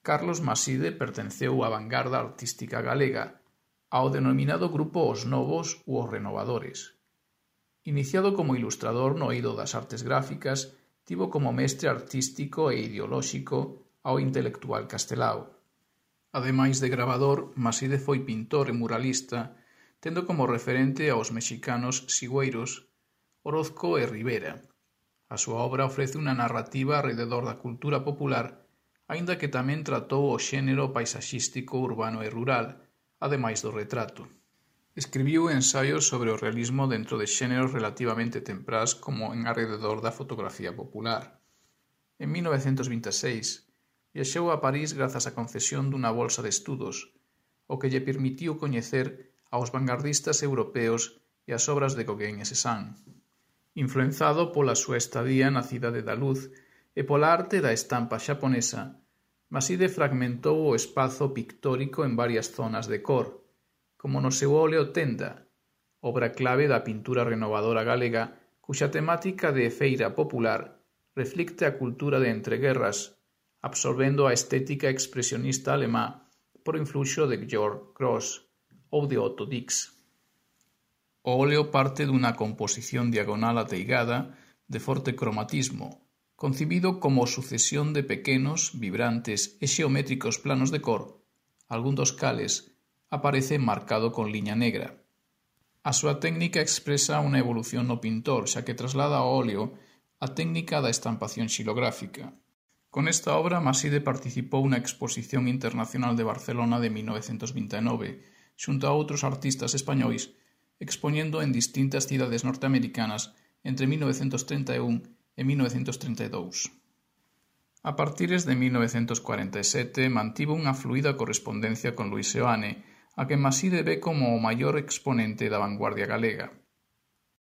Carlos Maside pertenceu á vangarda artística galega, ao denominado grupo Os Novos ou Os Renovadores. Iniciado como ilustrador no eido das artes gráficas, tivo como mestre artístico e ideolóxico ao intelectual Castelao. Ademais de gravador, Maside foi pintor e muralista, tendo como referente aos mexicanos Sigüeiros, Orozco e Rivera. A súa obra ofrece unha narrativa arrededor da cultura popular, aínda que tamén tratou o xénero paisaxístico urbano e rural, ademais do retrato. Escribiu ensaios sobre o realismo dentro de xéneros relativamente temprás como en arrededor da fotografía popular. En 1926, viaxou a París grazas á concesión dunha bolsa de estudos, o que lle permitiu coñecer aos vanguardistas europeos e as obras de Gauguin e Cézanne. Influenzado pola súa estadía na Cidade da Luz e pola arte da estampa xaponesa, Maside fragmentou o espazo pictórico en varias zonas de cor, como no seu óleo Tenda, obra clave da pintura renovadora galega cuxa temática de feira popular reflicte a cultura de entreguerras, absorbendo a estética expresionista alemá por influxo de Georg Grosz ou de Otto Dix. O óleo parte dunha composición diagonal ateigada de forte cromatismo, concibido como sucesión de pequenos, vibrantes e xeométricos planos de cor, algún dos cales aparece marcado con liña negra. A súa técnica expresa unha evolución no pintor, xa que traslada ao óleo a técnica da estampación xilográfica. Con esta obra, Maside participou na Exposición Internacional de Barcelona de 1929, xunto a outros artistas españois, expoñendo en distintas cidades norteamericanas entre 1931 e 1932. A partires de 1947 mantivo unha fluida correspondencia con Luis Seoane, a que Maside ve como o maior exponente da vanguardia galega.